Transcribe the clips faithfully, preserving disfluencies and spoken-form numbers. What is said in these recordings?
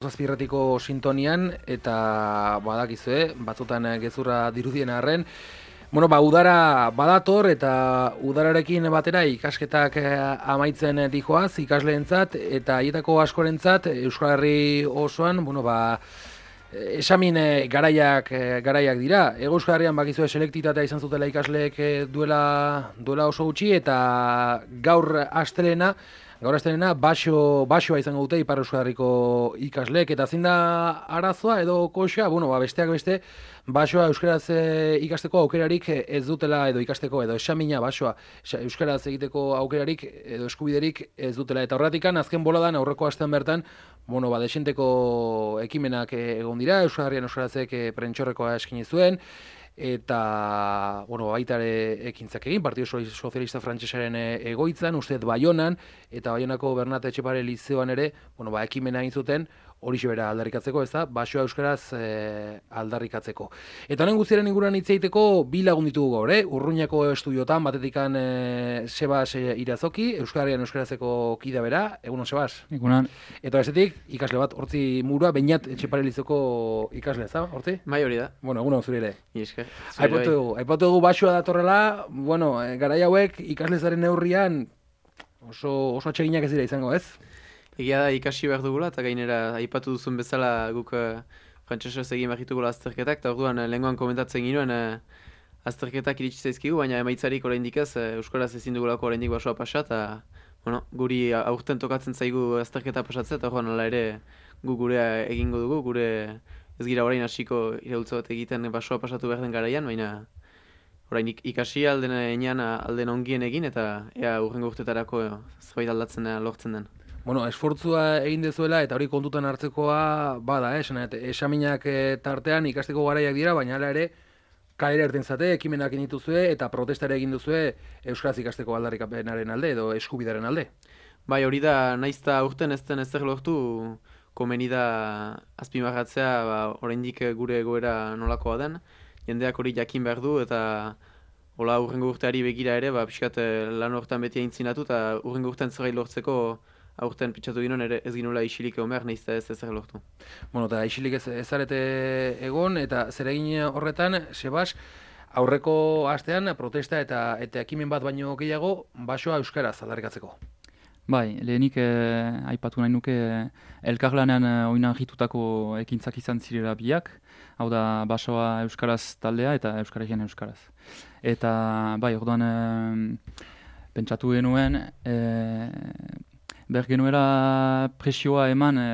Zazpirratiko sintonian eta badakizue, batzutan gezurra dirudien arren. Bueno, ba, udara badator eta udararekin batera ikasketak amaitzen dijoaz ikasleentzat eta haietako askorentzat Euskal Herri osoan, bueno, ba, esamin garaiak garaiak dira. Ego Euskal Herrian bakizue selektitatea izan zutela ikasleek duela duela oso gutxi eta gaur astelena Gaur astelena baso basoa izango dute Ipar Euskal Herriko ikasleek eta zein da arazoa edo koxa, bueno, ba, besteak beste basoa euskaraz e, ikasteko aukerarik ez dutela edo ikasteko edo esamina basoa euskaraz egiteko aukerarik edo eskubiderik ez dutela eta horretikan azken boladan aurreko astean bertan, bueno, ba, desenteko ekimenak egon dira, Euskal Herrian euskarazek prentxorrekoa eskaini zuen eta, bueno, baita ere ekintzak egin, Partido Sozialista Frantsesaren egoitzan, usteet Baionan, eta Baionako Bernat Etxepare Lizeoan ere, bueno, ba, ekimena egin zuten, horixe bera aldarrikatzeko, ez da, basoa euskaraz e, aldarrikatzeko. Eta honen guztiaren inguruan hitz egiteko bi lagun ditugu gaur, eh? Urruñako estudiotan, batetikan e, Sebas e, Irazoki, Euskal Herrian euskarazeko kida bera, egunon Sebas? Egunon. Eta bestetik, ikasle bat, hortzi murua, Beñat Etxepare Lizeoko ikasle, ez da, hortzi? Bai, hori da. Bueno, egunon zure ere. Iesker. Aipatu dugu, aipatu dugu basoa datorrela, bueno, garai hauek ikaslezaren neurrian oso, oso atseginak ez dira izango, ez? Egia da ikasi behar dugula, eta gainera aipatu duzun bezala guk uh, frantsesez egin behar ditugula azterketak, eta orduan uh, lehengoan komentatzen ginuen uh, azterketak iritsi zaizkigu, baina emaitzarik oraindik ez, uh, euskaraz ezin dugulako oraindik basoa pasa, eta bueno, guri aurten tokatzen zaigu azterketa pasatzea, eta orduan hala ere gu gurea egingo dugu, gure ez gira orain hasiko iraultza bat egiten basoa pasatu behar den garaian, baina orain ikasi alden enean alden ongien egin, eta ea urrengo urtetarako zerbait aldatzen lortzen den. Bueno, esfortzua egin dezuela eta hori kontutan hartzekoa bada, eh? Esan, esaminak tartean ikasteko garaiak dira, baina hala ere kalera erten zate, ekimenak dituzue eta protestare egin duzue euskaraz ikasteko aldarrikapenaren alde edo eskubidaren alde. Bai, hori da, naizta urten ez den ezer lortu, komeni da azpimarratzea, ba, oraindik gure egoera nolakoa den, jendeak hori jakin behar du eta hola urrengo urteari begira ere, ba, pixkat lan horretan beti aintzinatu eta urrengo urtean zerbait lortzeko aurten pitxatu ginoen ere ez ginoela isilik egon behar, nahiz ez ezer lortu. Bueno, eta isilik ez ezarete egon, eta zer egin horretan, Sebas, aurreko astean protesta eta eta ekimen bat baino gehiago basoa euskaraz aldarrikatzeko. Bai, lehenik eh, aipatu nahi nuke elkarlanean eh, oinarritutako ekintzak izan zirela biak, hau da basoa euskaraz taldea eta euskararekin euskaraz. Eta bai, orduan eh, pentsatu genuen, eh, behar genuela presioa eman e,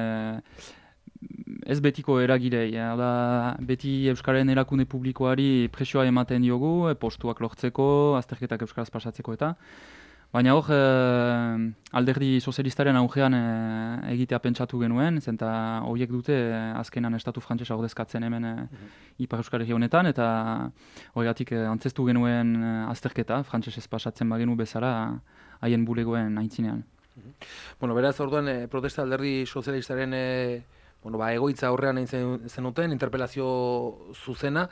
ez betiko eragirei, e, da, beti Euskararen erakunde publikoari presioa ematen diogu, e, postuak lortzeko, azterketak euskaraz pasatzeko eta. Baina hor, e, alderdi sozialistaren augean e, egitea pentsatu genuen, zenta horiek dute e, azkenan estatu frantsesa ordezkatzen hemen e, Ipar Euskal Herri honetan, eta horregatik e, antzestu genuen e, azterketa, frantsesez pasatzen bagenu bezala haien bulegoen aintzinean. Bueno, beraz, orduan, eh, protesta alderdi sozialistaren eh, bueno, ba, egoitza aurrean egin zenuten, interpelazio zuzena,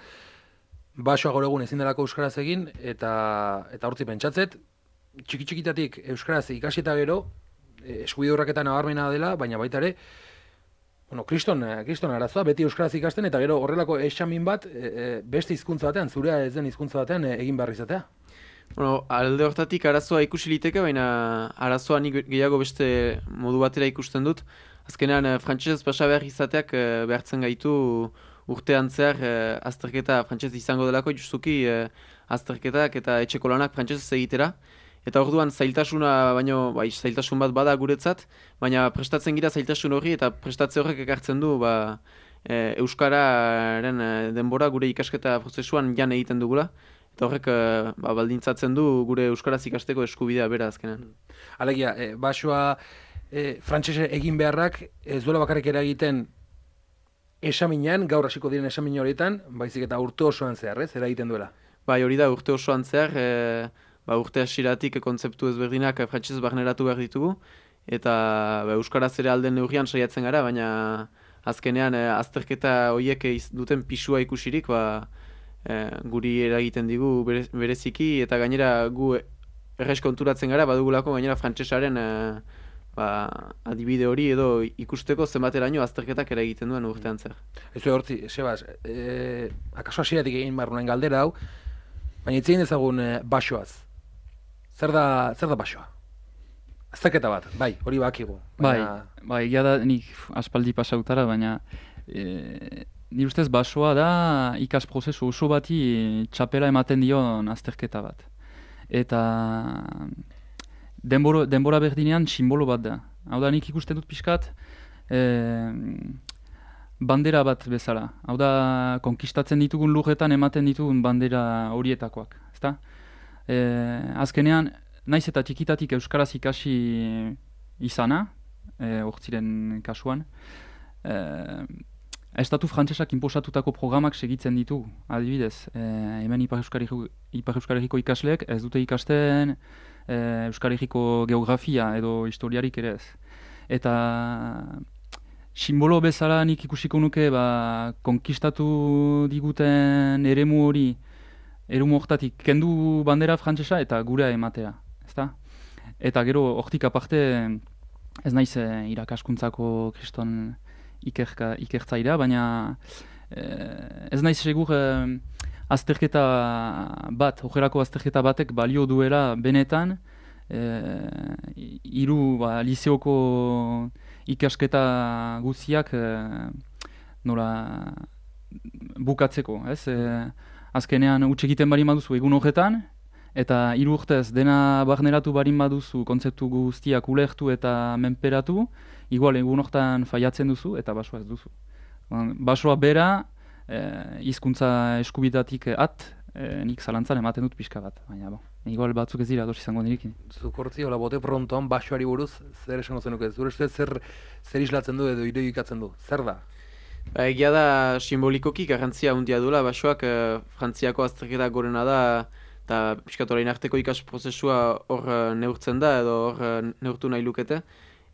basoa gaur egun ezin delako euskaraz egin, eta eta hortzi pentsatzet, txiki-txikitatik euskaraz ikasi eta gero, eh, eskubide horreketan nabarmena dela, baina baita ere, bueno, kriston, kriston arazoa, beti euskaraz ikasten, eta gero horrelako esamin bat, eh, beste hizkuntza batean, zurea ez den hizkuntza batean eh, egin behar izatea. Bueno, alde hortatik arazoa ikusi liteke, baina arazoa nik gehiago beste modu batera ikusten dut. Azkenean, frantsesez pasa behar izateak behartzen gaitu urtean zehar azterketa frantsesez izango delako, justuki azterketak eta etxeko lanak frantsesez egitera. Eta orduan zailtasuna, baino, bai, zailtasun bat bada guretzat, baina prestatzen gira zailtasun horri eta prestatze horrek ekartzen du ba, e, Euskararen denbora gure ikasketa prozesuan jan egiten dugula. Eta horrek ba, baldintzatzen du gure euskaraz ikasteko eskubidea bera azkenan. Alegia, e, basoa e, frantsese egin beharrak ez duela bakarrik eragiten esaminean, gaur hasiko diren esamin horietan, baizik eta urte osoan zehar, ez, eragiten duela. Bai, hori da urte osoan zehar, e, ba, urte hasieratik kontzeptu ezberdinak frantsesez barneratu behar ditugu, eta ba, euskaraz ere alden neurrian saiatzen gara, baina azkenean e, azterketa horiek duten pisua ikusirik, ba, E, guri eragiten digu bereziki eta gainera gu errez konturatzen gara badugulako gainera frantsesaren e, ba, adibide hori edo ikusteko zenbateraino azterketak ere egiten duen urtean zer. Ez du hortzi, Sebas, e, akaso hasieratik egin barrunen galdera hau, baina itzein ezagun e, basoaz. Zer da, zer da basoa? Azterketa bat, bai, hori bakigu. Baina... Bai, bai, egia da nik aspaldi pasautara, baina e, nire ustez basoa da ikas prozesu oso bati txapela ematen dion azterketa bat. Eta denbora, denbora berdinean simbolo bat da. Hau da nik ikusten dut pixkat e, bandera bat bezala. Hau da konkistatzen ditugun lurretan ematen ditugun bandera horietakoak. Ezta? E, azkenean, naiz eta txikitatik euskaraz ikasi izana, e, hortziren kasuan, e, estatu frantsesak inposatutako programak segitzen ditu, adibidez. E, hemen Ipar Euskal Herriko, Ipar Euskal Herriko ikasleek ez dute ikasten e, Euskal Herriko geografia edo historiarik ere ez. Eta simbolo bezala nik ikusiko nuke ba, konkistatu diguten eremu hori, eremu hortatik kendu bandera frantsesa eta gurea ematea. Ezta? Eta gero hortik aparte ez naiz e, irakaskuntzako kriston ikerka, ikertzaira, baina e, ez naiz segur e, azterketa bat, ojerako azterketa batek balio duela benetan e, hiru ba, liseoko ikasketa guztiak e, nola bukatzeko, ez? E, azkenean huts egiten barin baduzu egun horretan, eta hiru urtez dena barneratu barin baduzu kontzeptu guztiak ulertu eta menperatu, igual egun hortan faiatzen duzu eta basoa ez duzu. Basoa bera, e, hizkuntza eskubidatik at, e, nik zalantzan ematen dut pixka bat, baina bo, igual batzuk ez dira ados izango nirekin. Zukortzi, hola bote prontoan basoari buruz, zer esango zenuke? Zure ustez zer, zer islatzen du edo irudikatzen du? Zer da? Ba, egia da simbolikoki garrantzia handia duela, basoak e, Frantziako azterketa gorena da, eta pixkat orain arteko ikas prozesua hor neurtzen da edo hor neurtu nahi lukete.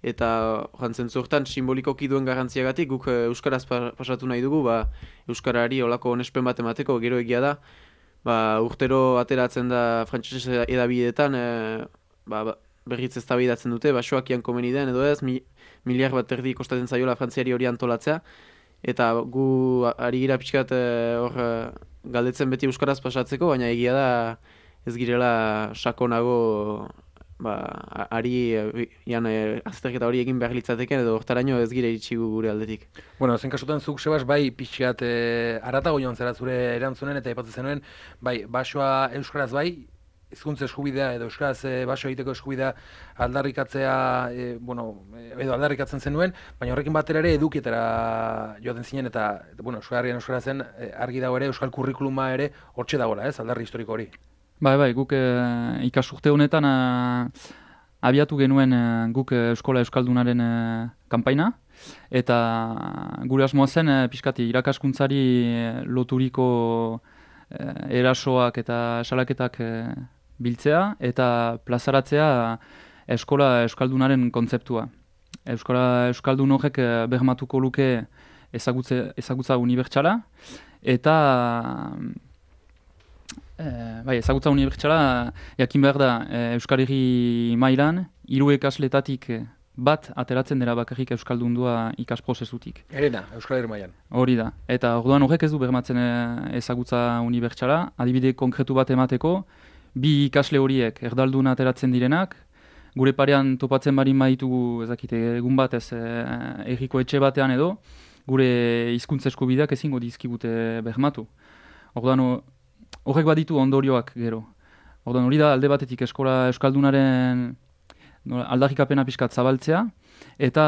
Eta horan zentzurtan simbolikoki duen garrantziagatik guk euskaraz pasatu nahi dugu, ba, euskarari olako onespen bat emateko gero egia da. Ba, urtero ateratzen da frantsesez edabideetan e, ba, berriz eztabaidatzen dute, basoak ian komeni den edo ez, mi, miliar bat erdi kostatzen zaiola Frantziari hori antolatzea. Eta gu ari gira pixkat hor e, galdetzen beti euskaraz pasatzeko, baina egia da ez girela sakonago ba, ari ian e, azterketa hori egin behar litzateken edo hortaraino ez gire iritsi gure aldetik. Bueno, zen kasutan zuk Sebas bai pixkat e, aratago joan zera zure erantzunen eta aipatzen zenuen, bai basoa euskaraz bai, hizkuntza eskubidea edo euskaraz e, baso egiteko eskubidea aldarrikatzea, e, bueno, edo aldarrikatzen zenuen, baina horrekin batera ere edukietara joaten zinen eta, bueno, euskarrian euskara zen, e, argi dago ere euskal kurrikuluma ere hortxe dagoela, ez, aldarri historiko hori. Bai, bai, guk e, ikasurte honetan a, abiatu genuen e, guk e, Eskola Euskaldunaren e, kanpaina, eta gure asmoa zen e, pixkati irakaskuntzari loturiko e, erasoak eta salaketak e, biltzea eta plazaratzea Eskola Euskaldunaren kontzeptua. Euskara Euskaldun horrek e, bermatuko luke ezagutze, ezagutza unibertsala eta E, bai, ezagutza unibertsala jakin behar da e, Euskal Herri mailan hiru ikasletatik bat ateratzen dela bakarrik euskaldundua ikas prozesutik. Herena, Euskal Herri mailan. Hori da. Eta orduan horrek ez du bermatzen e, ezagutza unibertsala. Adibide konkretu bat emateko, bi ikasle horiek erdalduna ateratzen direnak, gure parean topatzen barin baditugu ezakite egun batez e, herriko etxe batean edo, gure hizkuntza eskubideak ezingo dizkigute bermatu. Orduan horrek baditu ondorioak gero. Orduan hori da alde batetik Eskola Euskaldunaren aldarrikapena pixkat zabaltzea, eta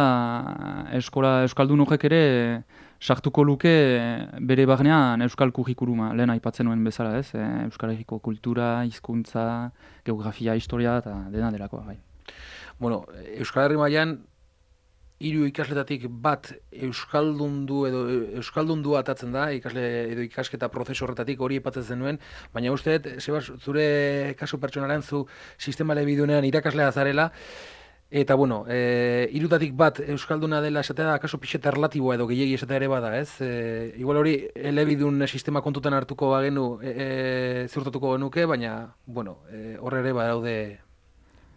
Eskola Euskaldun horrek ere sartuko luke bere barnean euskal kurrikuluma, lehen aipatzen nuen bezala, ez? E, Euskal Herriko kultura, hizkuntza, geografia, historia eta dena delakoa, bai. Bueno, Euskal Herri mailan hiru ikasletatik bat euskaldundu edo euskaldundu atatzen da, ikasle edo ikasketa prozesu horretatik hori aipatzen zenuen, baina uste dut, Sebas, zure kasu pertsonalean zu sistema elebidunean irakaslea zarela, eta bueno, e, hirutatik bat euskalduna dela esatea da, kasu pixeta erlatiboa edo gehiegi esatea ere bada, ez? E, igual hori elebidun sistema kontutan hartuko bagenu e, e, ziurtatuko genuke, baina, bueno, e, horre ere badaude,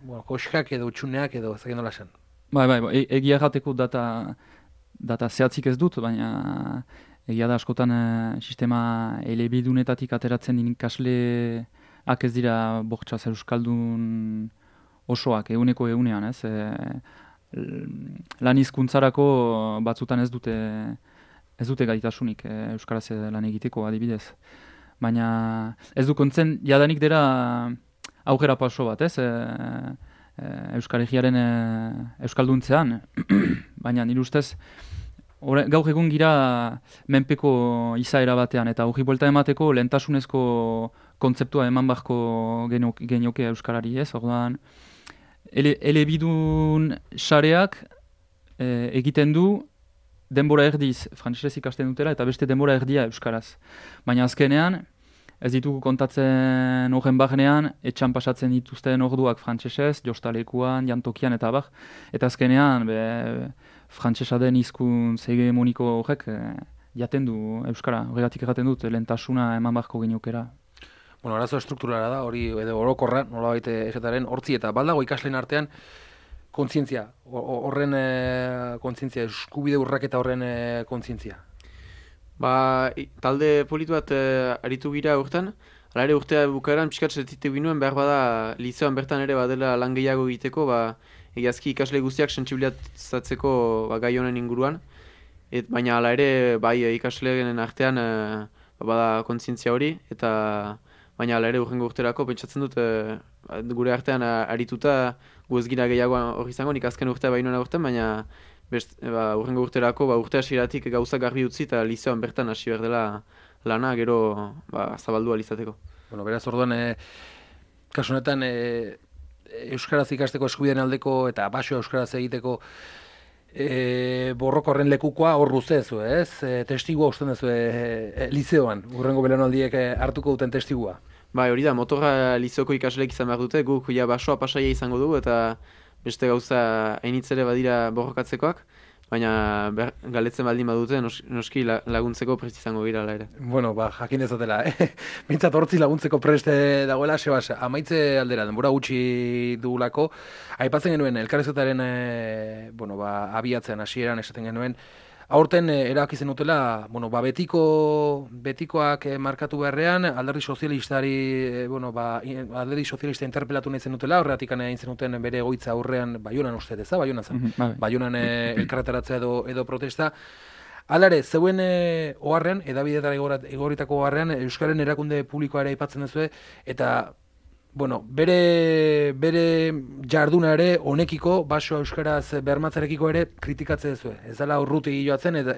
bueno, koxkak edo utxuneak edo ez dakit nola esan. Bai, bai, e egia jateko data, data zehatzik ez dut, baina egia da askotan e, sistema elebidunetatik ateratzen din ikasleak ez dira bortxaz euskaldun osoak, eguneko egunean, ez? E, lan hizkuntzarako batzutan ez dute ez dute gaitasunik e, euskaraz lan egiteko adibidez. Baina ez du kontzen jadanik dira aukera paso bat, ez? E, e, Euskal Herriaren e, euskalduntzean, baina nire ustez Ore, gaur egun gira menpeko izaera batean, eta hori buelta emateko lehentasunezko kontzeptua eman barko genioke euskarari, ez? Orduan, ele, elebidun sareak e, egiten du denbora erdiz frantsesez ikasten dutela eta beste denbora erdia euskaraz. Baina azkenean, ez ditugu kontatzen horren barnean, etxan pasatzen dituzten orduak frantsesez, jostalekuan, jantokian eta abar, eta azkenean, be, frantsesa den hizkuntz hegemoniko horrek e, jaten du euskara, horregatik erraten dut lehentasuna eman barko geniokera. Bueno, arazo estrukturala da, hori edo orokorra, nolabait esataren hortzi eta baldago ikasleen artean kontzientzia, horren e, kontzientzia, eskubide urraketa horren e, kontzientzia. Ba, talde politu bat e, aritu gira urtean, hala ere urtea bukaeran pixkat sentitu ginuen, behar bada lizeoan bertan ere badela lan gehiago egiteko, ba, egiazki ikasle guztiak sentsibilizatzeko ba, gai honen inguruan, et, baina hala ere bai ikasleen artean e, ba, bada kontzientzia hori, eta baina hala ere urrengo urterako pentsatzen dut e, gure artean arituta gu ez gira gehiago hori izango, nik azken urtea bainoena urtean, baina best, ba, urrengo urterako ba, urte hasieratik gauza garbi utzi eta lizeoan bertan hasi behar dela lana gero ba, zabaldu alizateko. Bueno, beraz orduan, e, kasu honetan, e, euskaraz ikasteko eskubideen aldeko eta baso euskaraz egiteko e, borrokorren lekukoa hor ruzezu, ez? E, testigua usten duzu e, e, lizeoan, urrengo belaunaldiek e, hartuko duten testigua. Bai, hori da, motorra lizeoko ikasleek izan behar dute, guk ja basoa pasaia izango dugu eta beste gauza hainitzere badira borrokatzekoak, baina ber, galetzen baldin badute nos, noski laguntzeko prest izango gira ala ere. Bueno, ba, jakin dezatela, eh? Mintzat hortzi laguntzeko preste dagoela, Sebas, amaitze aldera, denbora gutxi dugulako, aipatzen genuen, elkarrezketaren, e, bueno, ba, abiatzean hasieran esaten genuen, aurten e, erabaki zenutela, bueno, ba, betiko, betikoak e, markatu beharrean, alderdi sozialistari, e, bueno, ba, alderdi sozialista interpelatu nahi zenutela, horregatik egin zenuten bere egoitza aurrean, Baionan uste deza, Baionan zen, mm-hmm, Baionan e, elkarretaratzea edo, edo protesta. Alare, zeuen e, oharrean, edabidetara egoritako oharrean, Euskaren erakunde publikoa ere aipatzen duzue, eta bueno, bere, bere jarduna ere honekiko, baso euskaraz bermatzarekiko ere kritikatze duzue. Ez dela urrutegi joatzen, eta,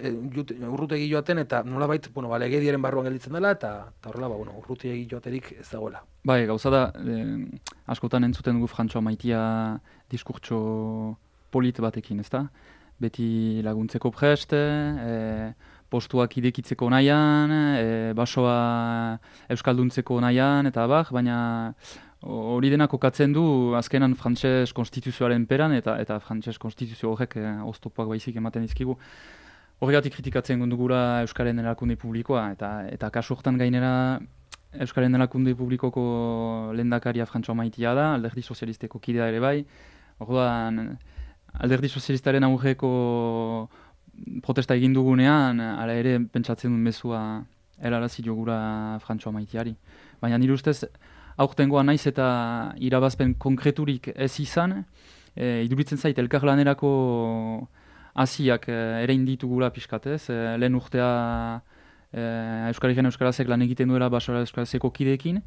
urrutegi joaten, eta nolabait, bueno, ba, legediaren barruan gelditzen dela, eta, eta horrela, ba, bueno, urrutegi joaterik ez dagoela. Bai, gauza da, eh, askotan entzuten dugu Frantxoa Maitia diskurtso polit batekin, ezta? Beti laguntzeko prest, eh, postuak idekitzeko nahian, e, basoa euskalduntzeko nahian, eta abar, baina hori dena kokatzen du azkenan frantses konstituzioaren peran, eta eta frantses konstituzio horrek e, oztopoak baizik ematen dizkigu. Horregatik kritikatzen dugula Euskaren erakunde publikoa, eta eta kasu hortan gainera Euskaren erakunde publikoko lehendakaria Frantxoa Maitia da, alderdi sozialisteko kidea ere bai. Orduan, alderdi sozialistaren aurreko protesta egin dugunean, hala ere pentsatzen duen mezua erarazi jogura Frantxoa Maitiari. Baina nire ustez, aurtengoa naiz eta irabazpen konkreturik ez izan, e, iduritzen zait elkarlanerako hasiak e, ere inditugula pixkatez, e, lehen urtea e, Euskal Herrian Euskarazek lan egiten duela Basoa Euskarazeko kideekin,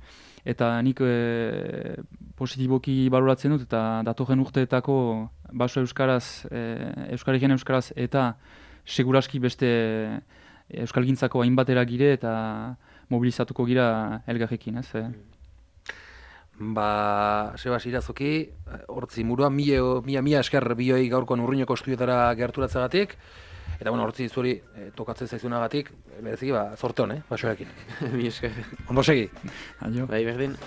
eta nik e, positiboki baloratzen dut, eta datorren urteetako Baso Euskaraz, e, Euskal Herrian Euskaraz eta seguraski beste euskalgintzako hainbatera gire eta mobilizatuko gira elgarrekin, ez? Eh? Ba, Sebas Irazoki, hortzi murua, mila, mila, mila esker bioi gaurkoan urruñoko estudiotara gerturatzagatik, eta bueno, hortzi zuri e, tokatzen zaizunagatik, bereziki, ba, zorte hon, eh, basoekin. Mi esker. Ondo segi. Adio. Bai, berdin.